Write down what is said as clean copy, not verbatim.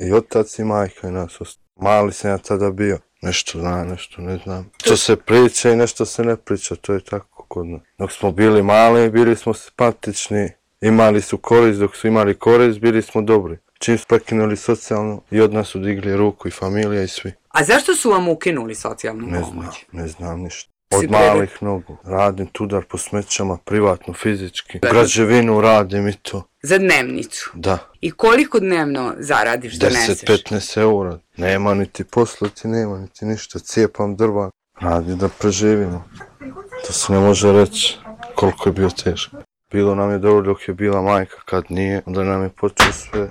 i otac i majka i nas ostalo. Mali sam ja tada bio. Nešto znam, nešto ne znam. Što se priča i nešto se ne priča, to je tako kod nas. Dok smo bili mali, bili smo simpatični, imali su korist, dok su imali korist, bili smo dobri. Čim su prekinuli socijalno i od nas su digli ruku i familija i svi. A zašto su vam ukinuli socijalnu pomoć? Ne znam ništa. Od malih nogu. Radim tudar po smećama, privatno, fizički. U građevinu radim i to. Za dnevnicu? Da. I koliko dnevno zaradiš, doneseš? 10-15 eura. Nema niti poslati, nema niti ništa. Cijepam drva. Radim da preživimo. To se ne može reći koliko je bio teško. Bilo nam je dobro dok je bila majka, kad nije, onda nam je počeo sve